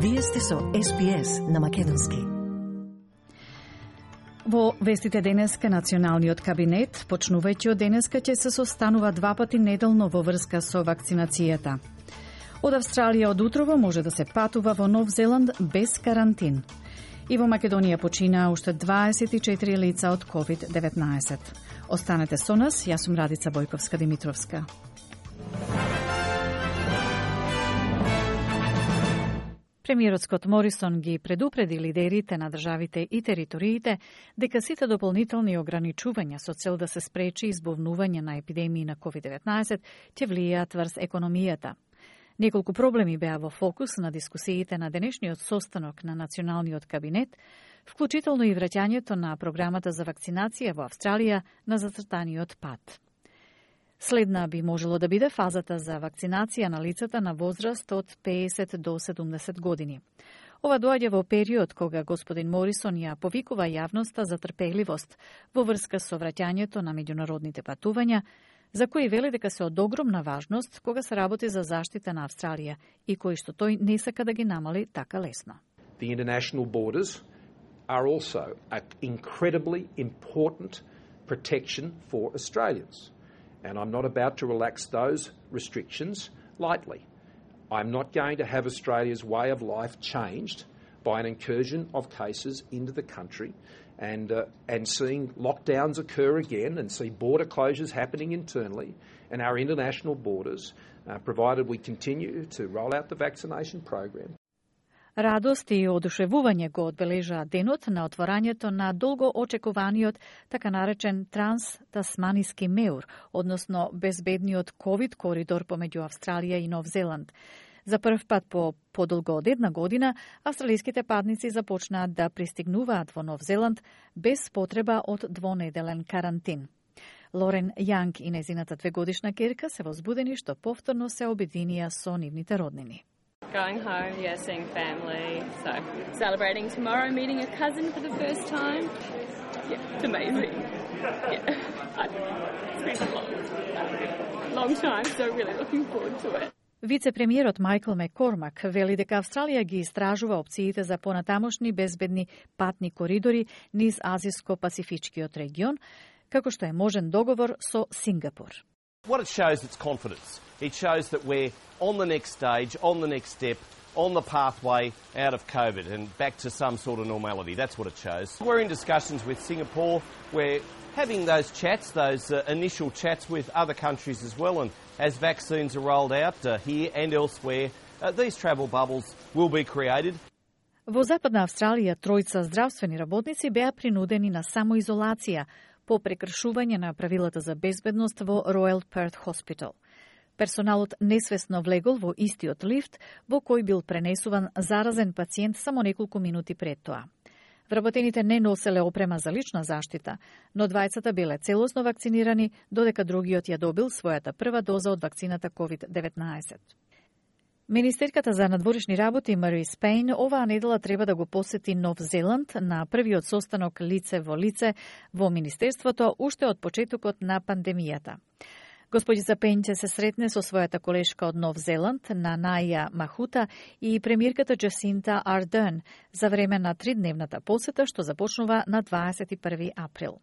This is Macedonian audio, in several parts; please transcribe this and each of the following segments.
Вие сте со SPS на Македонски. Во вестите денеска националниот кабинет, почнувајќи од денеска, ќе се состанува 2 пати неделно во врска со вакцинацијата. Од Австралија од утрово може да се патува во Нов Зеланд без карантин. И во Македонија почина уште 24 лица од COVID-19. Останете со нас, јас сум Радица Бојковска-Димитровска. Премиерот Скот Морисон ги предупреди лидерите на државите и териториите дека сите дополнителни ограничувања со цел да се спречи избовнување на епидемии на COVID-19 ќе влијаат врз економијата. Неколку проблеми беа во фокус на дискусиите на денешниот состанок на Националниот кабинет, вклучително и враќањето на програмата за вакцинација во Австралија на зацртаниот пат. Следна би можело да биде фазата за вакцинација на лицата на возраст од 50 до 70 години. Ова доаѓа во период кога господин Морисон ја повикува јавноста за трпеливост во врска со враќањето на меѓународните патувања, за кои вели дека се од огромна важност кога се работи за заштита на Австралија и кои што тој не сака да ги намали така лесно. The international borders are also an incredibly important protection for Australians. And I'm not about to relax those restrictions lightly. I'm not going to have Australia's way of life changed by an incursion of cases into the country and seeing lockdowns occur again and see border closures happening internally and our international borders, provided we continue to roll out the vaccination program. Радост и одушевување го одбележаа денот на отворањето на долго очекуваниот така наречен транс-тасманиски меур, односно безбедниот ковид коридор помеѓу Австралија и Нов Зеланд. За прв пат по подолго од една година, австралиските патници започнаат да пристигнуваат во Нов Зеланд без потреба од двонеделен карантин. Лорен Јанг и незината 2-годишна керка се возбудени што повторно се обединија со нивните роднини. Going home, seeing family, so celebrating tomorrow, meeting a cousin for the first time. Yeah, it's amazing. It's been a long time, so really looking forward to it. Вице-премиерот Майкл Маккормак вели дека Австралија ги истражува опциите за понатамошни безбедни патни коридори низ Азиско-Пасифичкиот регион, како што е можен договор со Сингапур. What it shows is confidence. It shows that we're on the next stage, on the next step, on the pathway out of COVID and back to some sort of normality. That's what it shows. We're in discussions with Singapore. We're having those chats, those initial chats with other countries as well. And as vaccines are rolled out here and elsewhere, these travel bubbles will be created. Во Западна Австралија тројца здравствени работници беа принудени на самоизолација по прекршување на правилата за безбедност во Royal Perth Hospital. Персоналот несвесно влегол во истиот лифт во кој бил пренесуван заразен пациент само неколку минути пред тоа. Вработените не носеле опрема за лична заштита, но двајцата биле целосно вакцинирани, додека другиот ја добил својата прва доза од вакцината COVID-19. Министерката за надворешни работи Марис Пейн оваа недела треба да го посети Нов Зеланд на првиот состанок лице во лице во Министерството уште од почетокот на пандемијата. Господица Пейн ќе се сретне со својата колешка од Нов Зеланд, Нанаја Махута и премиерката Джасинта Ардерн за време на 3-дневната посета што започнува на 21 април.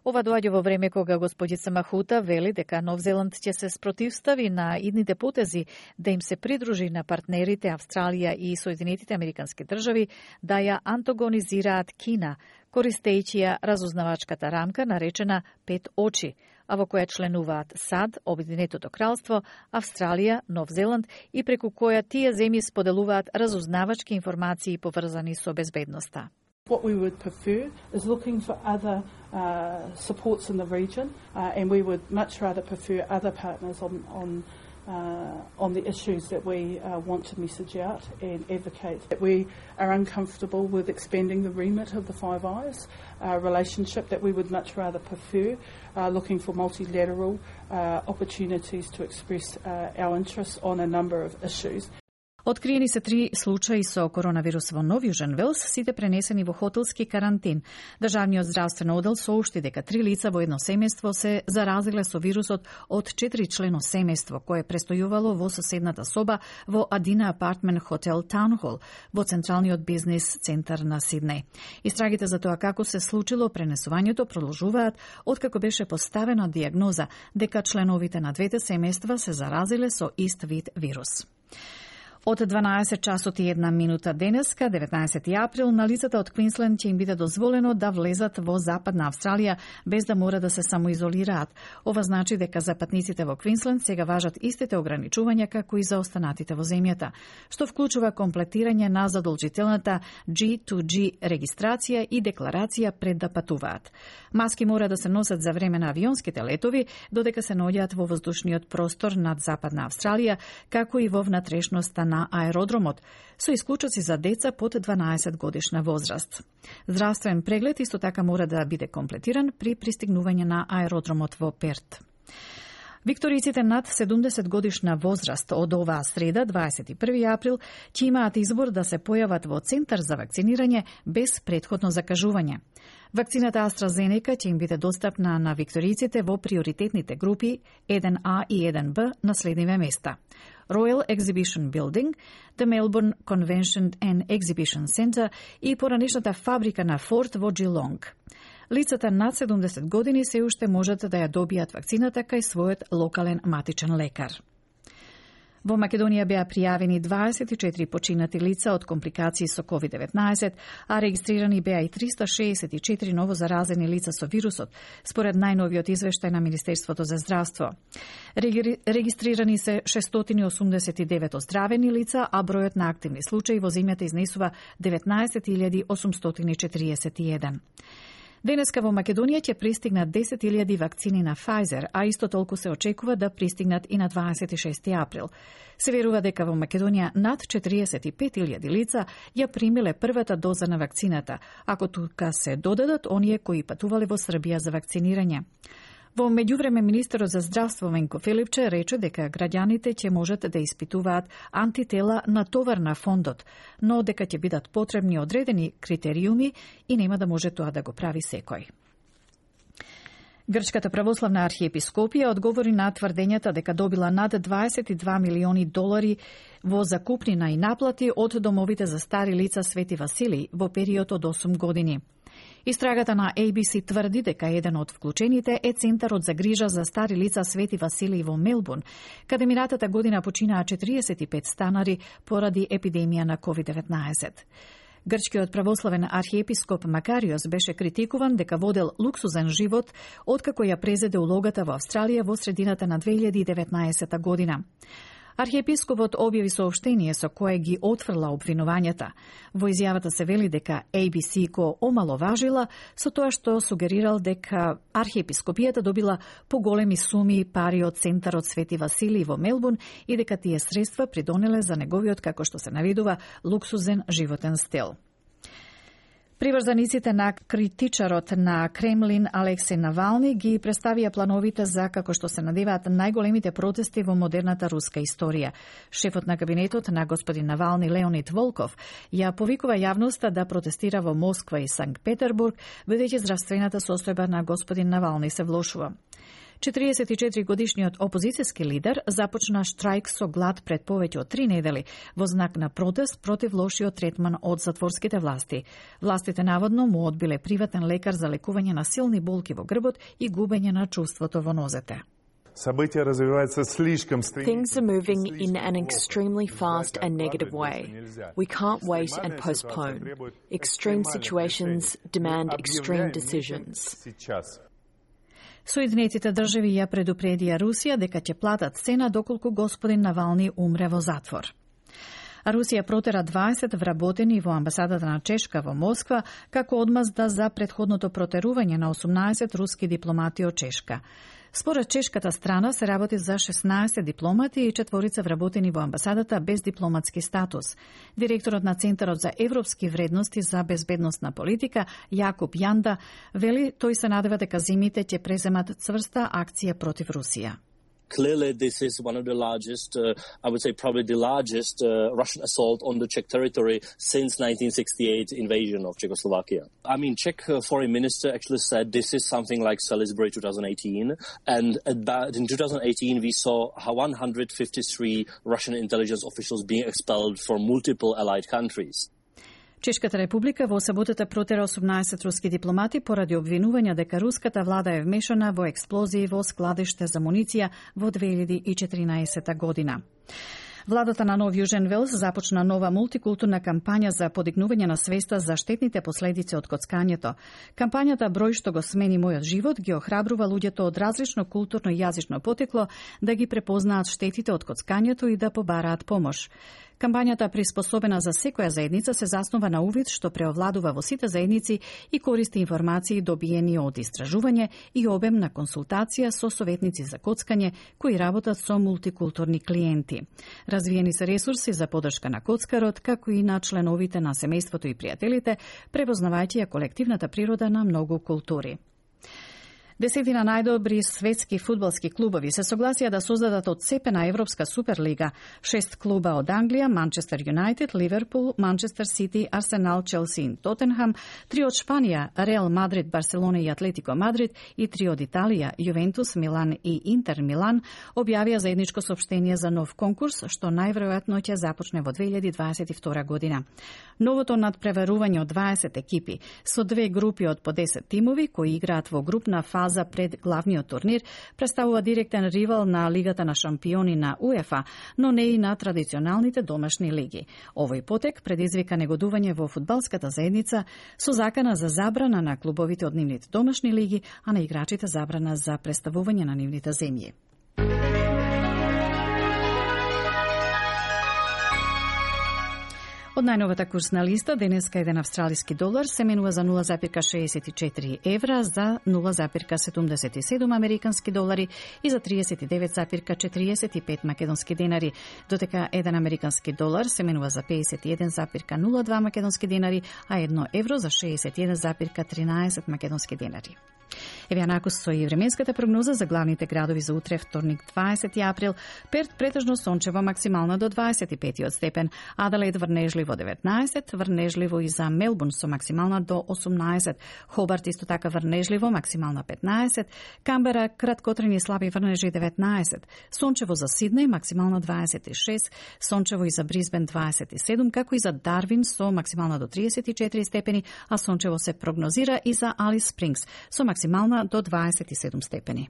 Ова доаѓа во време кога господица Махута вели дека Нов Зеланд ќе се спротивстави на идните потези да им се придружи на партнерите Австралија и Соединетите Американски држави да ја антагонизираат Кина, користејќи ја разузнавачката рамка наречена 5 очи, а во која членуваат САД, Обединетото кралство, Австралија, Нов Зеланд и преку која тие земји споделуваат разузнавачки информации поврзани со безбедноста. What we would prefer is looking for other supports in the region, and we would much rather prefer other partners on the issues that we want to message out and advocate. That we are uncomfortable with expanding the remit of the Five Eyes relationship, that we would much rather prefer looking for multilateral opportunities to express our interests on a number of issues. Откриени се 3 случаи со коронавирус во Нов Јужен Велс, сите пренесени во хотелски карантин. Државниот здравствен одел соопшти дека 3 лица во едно семејство се заразиле со вирусот од 4-члено семејство кое престојувало во соседната соба во Adina Apartment Hotel Town Hall во централниот бизнис центар на Сиднеј. Истрагите за тоа како се случило пренесувањето продолжуваат откако беше поставена дијагноза дека членовите на двете семејства се заразиле со ист вид вирус. Од 12 часот и 1 минута денеска, 19 април, на лицата од Квинсленд ќе им биде дозволено да влезат во Западна Австралија без да мора да се самоизолираат. Ова значи дека за патниците во Квинсленд сега важат истите ограничувања како и за останатите во земјата, што вклучува комплетирање на задолжителната G2G регистрација и декларација пред да патуваат. Маски мора да се носат за време на авионските летови, додека се наоѓаат во воздушниот простор над Западна Австралија, како и во внатрешноста на аеродромот, со исклучоци за деца под 12 годишна возраст. Здравствен преглед исто така мора да биде комплетиран при пристигнување на аеродромот во Перт. Викториците над 70 годишна возраст од оваа среда, 21 април, ќе имаат избор да се појават во центар за вакцинирање без претходно закажување. Вакцината AstraZeneca ќе им биде достапна на викториците во приоритетните групи 1А и 1Б на следниве места: Royal Exhibition Building, the Melbourne Convention and Exhibition Centre и поранешната фабрика на Форд во Geelong. Лицата над 70 години се уште можат да ја добијат вакцината кај својот локален матичен лекар. Во Македонија беа пријавени 24 починати лица од компликации со COVID-19, а регистрирани беа и 364 ново заразени лица со вирусот, според најновиот извештај на Министерството за здравство. Регистрирани се 689 оздравени лица, а бројот на активни случаи во земјата изнесува 19.841. Денеска во Македонија ќе пристигнат 10.000 вакцини на Pfizer, а исто толку се очекува да пристигнат и на 26 април. Се верува дека во Македонија над 45.000 лица ја примиле првата доза на вакцината, ако тука се додадат оние кои патувале во Србија за вакцинирање. Во меѓувреме, министерот за здравство Венко Филипче рече дека граѓаните ќе можат да испитуваат антитела на товар на фондот, но дека ќе бидат потребни одредени критериуми и нема да може тоа да го прави секој. Грчката православна архиепископија одговори на тврдењата дека добила над 22 милиони долари во закупнина и наплати од домовите за стари лица Свети Василий во период од 8 години. Истрагата на ABC тврди дека еден од вклучените е Центарот за грижа за стари лица Свети Василий во Мелбурн, каде минатата година починаа 45 станари поради епидемија на COVID-19. Грчкиот православен архиепископ Макариос беше критикуван дека водел луксузен живот откако ја презеде улогата во Австралија во средината на 2019 година. Архиепископот објави соопштение со кое ги отфрла обвинувањата. Во изјавата се вели дека ABC го омаловажила со тоа што сугерирал дека архиепископијата добила поголеми суми пари од Центарот Свети Василий во Мелбурн и дека тие средства придонеле за неговиот, како што се наведува, луксузен животен стил. Приврзаниците на критичарот на Кремлин Алексеј Навални ги представија плановите за, како што се надеваат, најголемите протести во модерната руска историја. Шефот на кабинетот на господин Навални, Леонид Волков, ја повикува јавноста да протестира во Москва и Санкт Петербург, бидејќи здравствената состојба на господин Навални се влошува. 44 годишниот опозицијски лидер започна штрајк со глад пред повеќе од 3 недели во знак на протест против лошиот третман од затворските власти. Властите наводно му одбиле приватен лекар за лекување на силни болки во грбот и губење на чувството во нозете. Things are moving in an extremely fast and negative way. We can't wait and postpone. Extreme situations demand extreme decisions. Соединетите држави ја предупредија Русија дека ќе платат цена доколку господин Навални умре во затвор. А Русија протера 20 вработени во амбасадата на Чешка во Москва како одмазда за претходното протерување на 18 руски дипломати од Чешка. Според чешката страна се работи за 16 дипломати и 4 вработени во амбасадата без дипломатски статус. Директорот на Центарот за европски вредности за безбедносна политика Јакуб Јанда вели тој се надева дека зимите ќе преземат цврста акција против Русија. Clearly, this is one of the largest, I would say probably the largest Russian assault on the Czech territory since 1968 invasion of Czechoslovakia. I mean, Czech foreign minister actually said this is something like Salisbury 2018. And in 2018, we saw 153 Russian intelligence officials being expelled from multiple allied countries. Чешката република во саботата протера 18 руски дипломати поради обвинувања дека руската влада е вмешана во експлозии во складиште за муниција во 2014 година. Владата на Нов Јужен Велс започна нова мултикултурна кампања за подигнување на свеста за штетните последици од коцкањето. Кампањата Број што го смени мојот живот ги охрабрува луѓето од различно културно и јазично потекло да ги препознаат штетите од коцкањето и да побараат помош. Кампањата приспособена за секоја заедница се заснова на увид што преовладува во сите заедници и користи информации добиени од истражување и обем на консултација со советници за коцкање кои работат со мултикултурни клиенти. Развиени се ресурси за поддршка на коцкарот, како и на членовите на семејството и пријателите, препознавајќи ја колективната природа на многу култури. Десетина најдобри светски фудбалски клубови се согласија да создадат одцепена Европска суперлига. 6 клуба од Англија, Манчестер Юнајтед, Ливерпул, Манчестер Сити, Арсенал, Челси и Тотенхам, 3 од Шпанија, Реал Мадрид, Барселона и Атлетико Мадрид и 3 од Италија, Јувентус, Милан и Интер Милан, објавија заедничко соопштение за нов конкурс, што најверојатно ќе започне во 2022 година. Новото надпреварување од 20 екипи со 2 групи од по 10 тимови кои играат во групна фаза пред главниот турнир представува директен ривал на Лигата на шампиони на УЕФА, но не и на традиционалните домашни лиги. Овој потек предизвика негодување во фудбалската заедница со закана за забрана на клубовите од нивните домашни лиги, а на играчите забрана за представување на нивните земји. Од најновата курсна листа, денеска еден австралиски долар се менува за 0,64 евра, за 0,77 американски долари и за 39,45 македонски денари, додека еден американски долар се менува за 51,02 македонски денари, а 1 евро за 61,13 македонски денари. Еве накус со и временската прогноза за главните градови за утре, вторник 20 април. Перт претежно сончево, максимална до 25 степен, Аделаид врнежливо 19, врнежливо и за Мелбурн со максимална до 18, Хобарт исто така врнежливо, максимална 15, Камбера краткотрени слаби врнежи 19, сончево за Сиднеј, максимална 26, сончево и за Брисбен 27, како и за Дарвин со максимална до 34 степени, а сончево се прогнозира и за Алис Спрингс со максимална до 27 степени.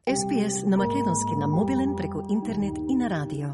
SPS на македонски на мобилен преку интернет и на радио.